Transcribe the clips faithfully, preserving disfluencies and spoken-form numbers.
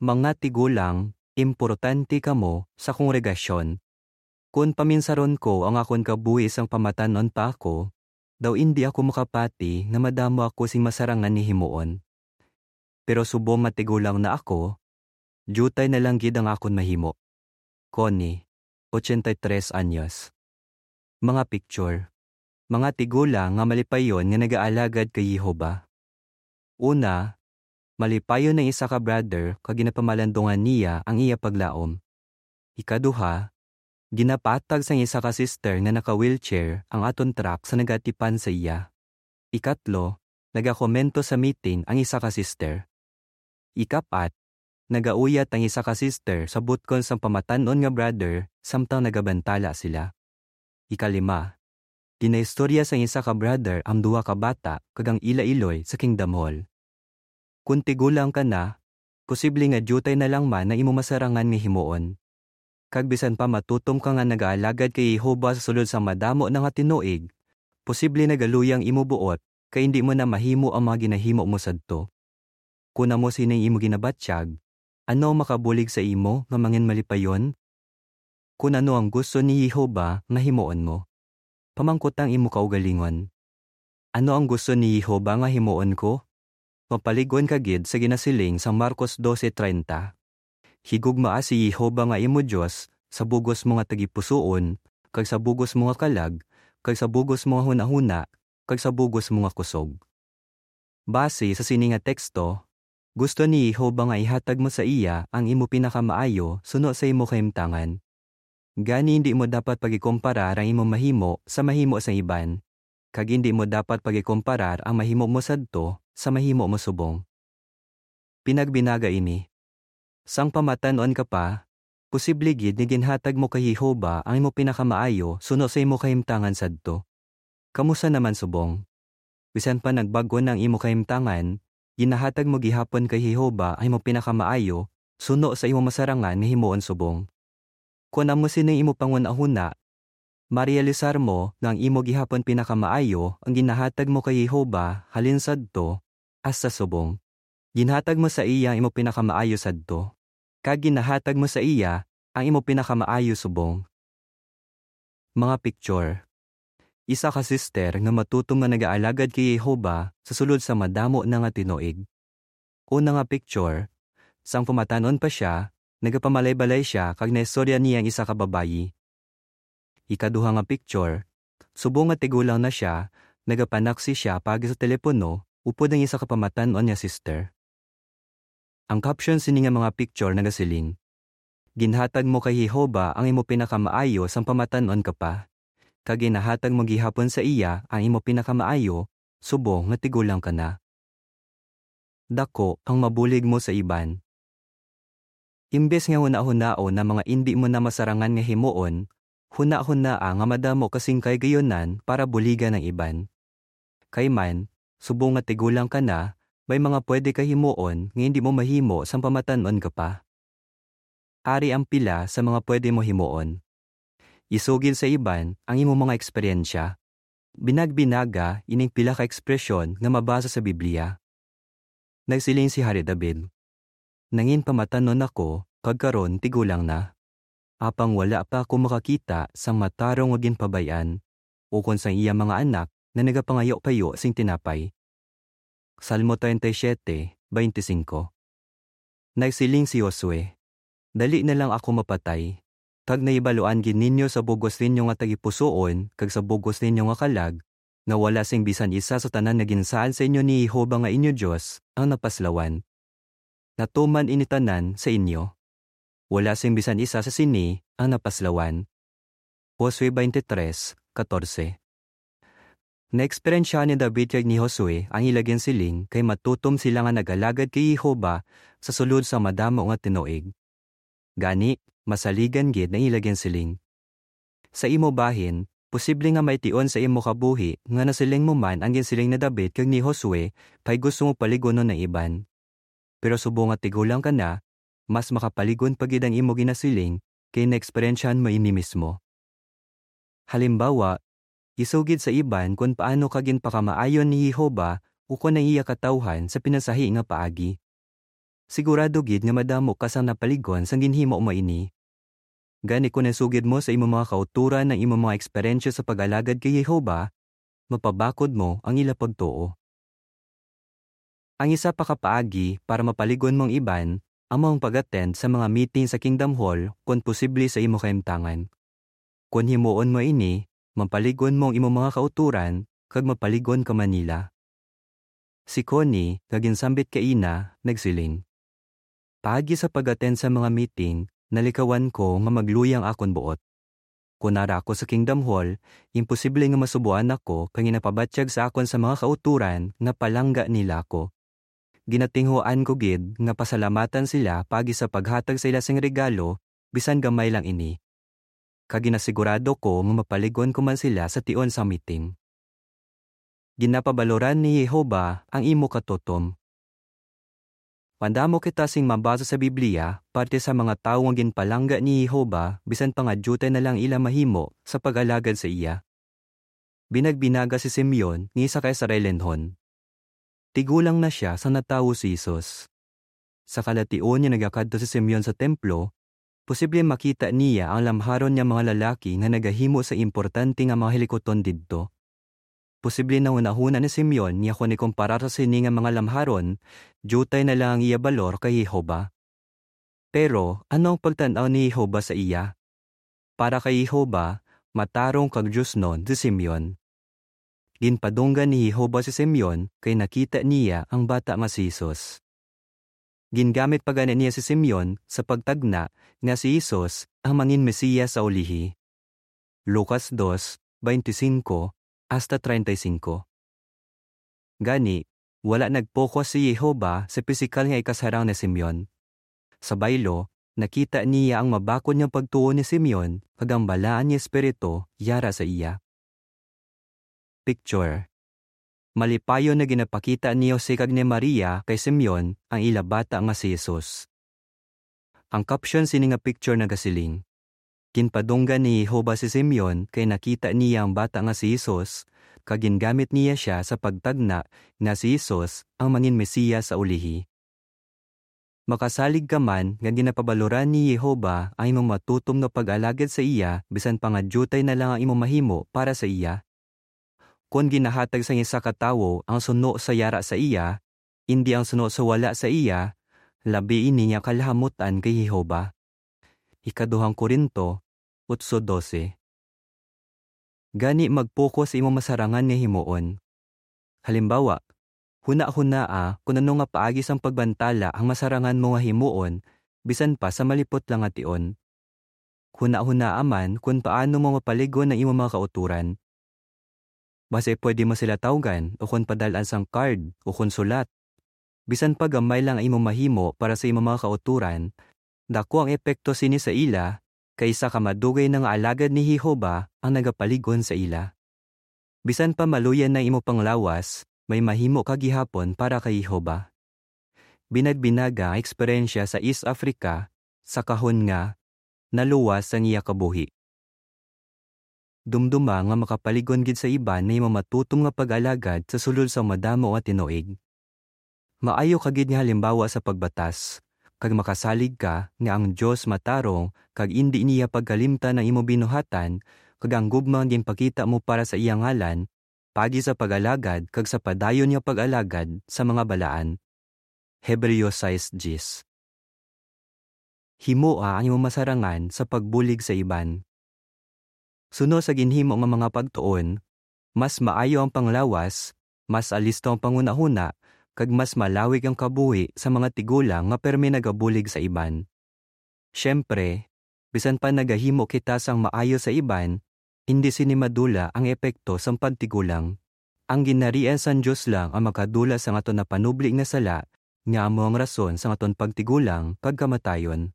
Mga tigulang, importante kamo sa kongregasyon. Kon paminsaron ko ang akon kabuhi sang pamatan-on pa ako, daw indi ako makapati nga madamo ako sing masarangan nga himuon. Pero subong nga tigulang na ako, diutay na lang gid ang akon mahimo. Connie, ochenta y tres anyos. Mga picture. Mga tigulang nga malipayon nga nagaalagad kay Jehovah. Una, malipayon ang isa ka brother kag ginapamalandungan niya ang iya paglaom. Ikaduha, ginapatag sang isa ka sister nga naka-wheelchair ang aton truck sa nagatipan sa iya. Ikatlo, nagakomento sa meeting ang isa ka sister. Ikapat, nagauyat ang isa ka sister sa butkon sang pamatan-on nga brother samtang nagabantala sila. Ikalima, ginaistorya sang isa ka brother ang duha ka bata kag ang ila iloy sa Kingdom Hall. Kon tigulang ka na, posible nga diutay na lang man ang imo masarangan nga himuon. Kag bisan pa matutom ka nga nagaalagad kay Jehovah sa sulod sang madamo na nga tinuig, posible nagaluya ang imo buot kay indi mo na mahimo ang mga ginahimo mo sadto. Kon amo sini ang imo ginabatyag, ano ang makabulig sa imo nga manginmalipayon? Kon ano ang gusto ni Jehovah nga himuon mo? Pamangkot ang imo kaugalingon, "Ano ang gusto ni Jehovah nga himuon ko?" Mapalig-on ka gid sa ginasiling sang Marcos doce treinta, "Higugmaa si Jehovah nga imo Dios sa bug-os mo nga tagipusoon, kag sa bug-os mo nga kalag, kag sa bug-os mo nga hunahuna, kag sa bug-os mo nga kusog." Base sa sini nga teksto, gusto ni Jehovah nga ihatag mo sa iya ang imo pinakamaayo suno sa imo kahimtangan. Gani, indi mo dapat pagikomparar ang imo mahimo sa mahimo sang iban, kag indi mo dapat pagikomparar ang mahimo mo sadto sa mahimo mo subong. Pinagbinaga ini. Sang pamatan-on ka pa, posible gid nga ginhatag mo kay Jehovah ang imo pinakamaayo suno sa imo kahimtangan sadto. Kamusta naman subong? Bisan pa nagbag-o na ang imo kahimtangan, ginahatag mo gihapon kay Jehovah ang imo pinakamaayo suno sa imo masarangan nga himuon subong. Kon amo sini ang imo panghunahuna, marealisar mo nga ang imo gihapon pinakamaayo ang ginahatag mo kay Jehovah halin sadto hasta subong. Ginhatag mo sa iya ang imo pinakamaayo sadto, kag ginahatag mo sa iya ang imo pinakamaayo subong. Mga picture. Isa ka sister nga matutom nga nagaalagad kay Jehovah sa sulod sa madamo na nga tinuig. Una nga picture, sang pamatan-on pa sia, nagapamalaybay sia kag naistorya niya ang isa ka babayi. Ikaduha nga picture, subong nga tigulang na sia, nagapanaksi sia paagi sa telepono upod ang isa ka pamatan-on nga sister. Ang caption sini nga mga picture nagasiling, "Ginhatag mo kay Jehovah ang imo pinakamaayo sang pamatan-on ka pa, kag ginahatag mo gihapon sa iya ang imo pinakamaayo subong nga tigulang ka na." Daku ang mabulig mo sa iban. Imbes nga hunahunaon ang mga indi mo na masarangan nga himuon, hunahunaa nga madamo ka sing kahigayonan para buligan ang iban. Kay man, subong nga tigulang ka na, may mga pwede ka himuon nga indi mo mahimo sang pamatan-on ka pa. Ari ang pila sa mga pwede mo himuon. Isugid sa iban ang imo mga eksperyensya. Binagbinaga ining pila ka ekspresyon nga mabasa sa Biblia. Nagsiling si Hari David, "Nangin pamatan-on ako, kag karon tigulang na. Apang wala pa ako makakita sang matarong nga ginpabay-an, ukon sang iya mga anak nga nagapangayo-payo sing tinapay." Salmo treinta y siete, veinticinco. Nagsiling si Josue, "Dali na lang ako mapatay, kag nahibaluan gid ninyo sa bug-os ninyo nga tagipusoon kag sa bug-os ninyo nga kalag, nga wala sing bisan isa sa tanan nga ginsaad sa inyo ni Jehovah nga inyo Dios ang napaslawan. Natuman ini tanan sa inyo. Wala sing bisan isa sa sini ang napaslawan." Josue twenty-three, catorce. Naeksperyensya ni David kag ni Josue ang ila ginsiling kay matutom sila nga nag-alagad kay Jehovah sa sulod sa madamo nga tinuig. Gani, masaligan gid ang ila ginsiling. Sa imo bahin, posible nga may tion sa imo kabuhi nga nasiling mo man ang ginsiling ni David kag ni Josue kay gusto mo paligunon ang iban. Pero subong nga tigulang ka na, mas makapalig-on pa gid ang imo ginasiling kay naeksperyensyahan mo ini mismo. Halimbawa, isugid sa iban kon paano ka ginpakamaayo ni Jehovah ukon ang iya katawuhan sa pinasahi nga paagi. sigurado gid nga madamo ka sang napaligon sang ginhimo mo ini. Gani, kon nasugid mo sa imo mga kautoran ang imo mga eksperyensya sa pag-alagad kay Jehovah, mapabakod mo ang ila pagtuo. Ang isa pa ka paagi para mapaligon mo ang iban amo ang pag-attend sa mga meeting sa Kingdom Hall kon posible sa imo kahimtangan. Kon himuon mo ini, mapaligon mo ang imo mga kautoran kag mapaligon ka man nila. Si Connie, nga ginsambit kaina, nagsiling, "Paagi sa pag-attend sa mga meeting, nalikawan ko nga magluya ang akon buot. Kon ara ako sa Kingdom Hall, imposible nga masubuan ako kay ginapabatyag sa akon sa mga kautoran nga palangga nila ako. Ginatinguhaan ko gid nga pasalamatan sila paagi sa paghatag sa ila sing regalo, bisan gamay lang ini. Kag ginasigurado ko nga mapaligon ko man sila sa tion sang meeting." Ginapabaloran ni Jehovah ang imo katutom. Madamo kita sing mabasa sa Biblia parte sa mga tawo nga ginpalangga ni Jehovah bisan pa nga diutay na lang ila mahimo sa pag-alagad sa iya. Binagbinaga si Simeon nga isa ka Israelenhon. Tigulang na sia sa natawo si Jesus. Sa kalation nga nagakadto si Simeon sa templo, posible makita niya ang lamharon nga mga lalaki nga nagahimo sa importante nga mga hilikuton didto. Posible nahunahuna ni Simeon nga kon ikumparar sa sini nga mga lamharon, diutay na lang ang iya balor kay Jehovah. Pero ano ang pagtan-aw ni Jehovah sa iya? Para kay Jehovah, matarong kag diosnon si Simeon. Ginpadunggan ni Jehovah si Simeon kay nakita niya ang bata nga si Jesus. Gingamit pa gani niya si Simeon sa pagtagna nga si Jesus ang mangin Mesiyas sa ulihi. Lucas dos, veinticinco hasta treinta y cinco. Gani, wala nag-focus si Jehovah sa pisikal nga ikasarang ni Simeon. Sa baylo, nakita niya ang mabakod nga pagtuo ni Simeon kag ang balaan nga espiritu yara sa iya. Picture. Malipayon nga ginapakita ni Jose kag ni Maria kay Simeon ang ila bata nga si Jesus. Ang caption sini nga picture nagasiling, "Ginpadunggan ni Jehovah si Simeon kay nakita niya ang bata nga si Jesus, kag gingamit niya sia sa pagtagna nga si Jesus ang mangin Mesiyas sa ulihi." Makasalig ka man nga ginapabaloran ni Jehovah ang imong matutom nga pag-alagad sa iya, bisan pa nga diutay na lang ang imong mahimo para sa iya. Kon ginahatag sang isa ka tawo ang suno sa yara sa iya, indi ang suno sa wala sa iya, labi ini nga kalahamut-an kay Jehovah. Ikaduhang Corinto otso dose. Gani, mag-focus sa imong masarangan nga himuon. Halimbawa, hunahunaa kon ano nga paagi sang pagbantala ang masarangan mo nga himuon, bisan pa sa malipot lang nga tion. Hunahunaa man kon paano mo mapaligon ang imong mga kautoran. Basi pwede mo sila tawgan ukon padal-an sang card ukon sulat. Bisan pa gamay lang ang imong mahimo para sa imong mga kautoran, daku ang epekto sini sa ila, kay isa ka madugay na nga alagad ni Jehovah ang nagapaligon sa ila. Bisan pa maluya na imo panglawas, may mahimo ka gihapon para kay Jehovah. Binagbinaga ang eksperyensya sa East Africa sa kahon nga naluwas sang iya kabuhi. Dumduma nga makapaligon gid sa iban na imo matutom nga pag-alagad sa sulod sang madamo nga tinuig. Maayo ka gid nga halimbawa sa pagbatas, kag makasalig ka nga ang Dios matarong kag indi niya pagkalimtan ang imo binuhatan kag ang gugma nga ginpakita mo para sa iya ngalan, paagi sa pag-alagad kag sa padayon nga pag-alagad sa mga balaan. Hebreo sais diyes. Himoa ang imong masarangan sa pagbulig sa iban. Suno sa ginhimo nga mga pagtuon, mas maayo ang panglawas, mas alisto ang panghunahuna, kag mas malawig ang kabuhi sa mga tigulang nga permi nagabulig sa iban. Siyempre, bisan pa nagahimo kita sang maayo sa iban, indi sini madula ang epekto sang pagtigulang. Ang Ginharian sang Dios lang ang makadula sang aton napanubli nga sala, nga amo ang rason sang aton pagtigulang kag kamatayon.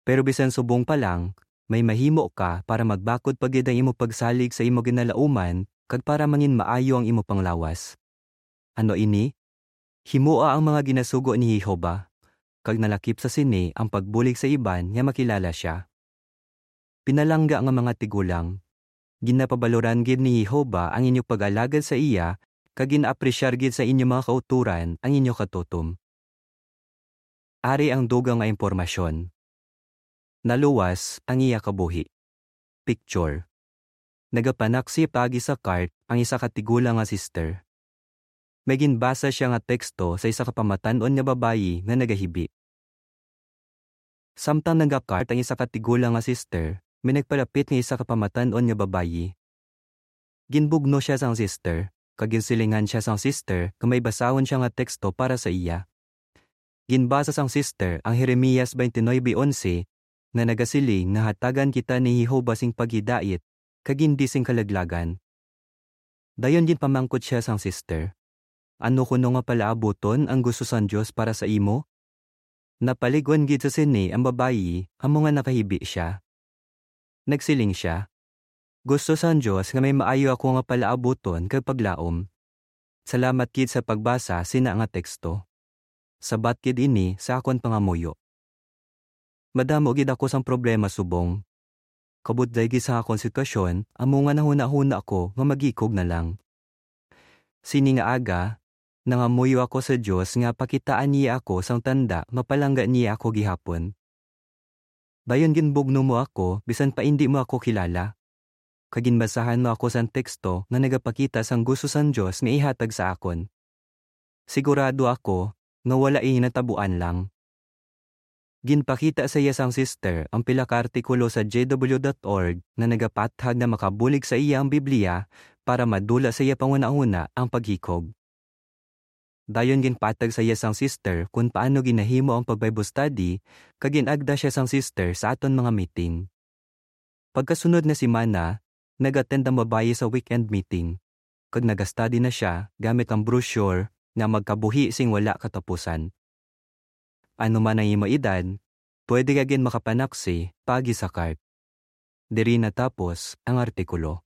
Pero bisan subong pa lang, may mahimo ka para magbakod pa gid ang imo pagsalig sa imo ginalauman kag para mangin maayo ang imo panglawas. Ano ini? Himoa ang mga ginasugo ni Jehovah, kag nalakip sa sini ang pagbulig sa iban nga makilala sia. Pinalangga nga mga tigulang, ginapabaloran gid ni Jehovah ang inyo pag-alagad sa iya, kag gin-apresyar gid sa inyo mga kautoran ang inyo katutom. ari ang dugang nga impormasyon. Naluwas ang iya kabuhi. Picture. Nagapanaksi paagi sa cart ang isa ka tigulang nga sister. May ginbasa siya nga teksto sa isa ka pamatan-on nga babayi nga nagahibi. Samtang nagakart ang isa ka tigulang nga sister, may nagpalapit nga isa ka pamatan-on nga babayi. Ginbugno siya sang sister, kag ginsilingan siya sang sister nga may basahon siya nga teksto para sa iya. Ginbasa sang sister ang Jeremias twenty-nine eleven, nga nagasiling nga hatagan kita ni Jehovah sing paghidait kag hindi sing kalaglagan. Dayon ginpamangkot siya sang sister, "Ano kuno nga palaabuton ang gusto sang Dios para sa imo?" Napalig-on gid sa sini ang babayi, amo nga nakahibi sia. Nagsiling sia, "Gusto sang Dios nga may maayo ako nga palaabuton kag paglaom. Salamat gid sa pagbasa sina nga teksto. Sabat gid ini sa akon pangamuyo. Madamo gid ako sang problema subong. Kabudlay gid sa akon sitwasyon, amo nga nahunahuna ako nga magikog na lang." Sini nga aga, nangamuyo ako sa Dios nga pakitaan niya ako sang tanda nga palangga niya ako gihapon. Dayon ginbugno mo ako bisan pa indi mo ako kilala, kag ginbasahan mo ako sang teksto nga nagapakita sang gusto sang Dios nga ihatag sa akon. Sigurado ako nga wala ini natabuan lang. Ginpakita sa iya sang sister ang pila ka artikulo sa J W dot org nga nagapathag nga makabulig sa iya ang Biblia para madula sa iya panghunahuna ang paghikog. Dayon ginpatag sa iya sang sister kon paano ginahimo ang pag-Bible study, kag gin-agda sia sang sister sa aton mga meeting. Pagkasunod nga semana, nag-attend ang babayi sa weekend meeting, kag nag-study na sia gamit ang brochure nga Magkabuhi sing Wala Katapusan. Ano man ang imo edad, pwede ka gid makapanaksi paagi sa cart. Diri natapos ang artikulo.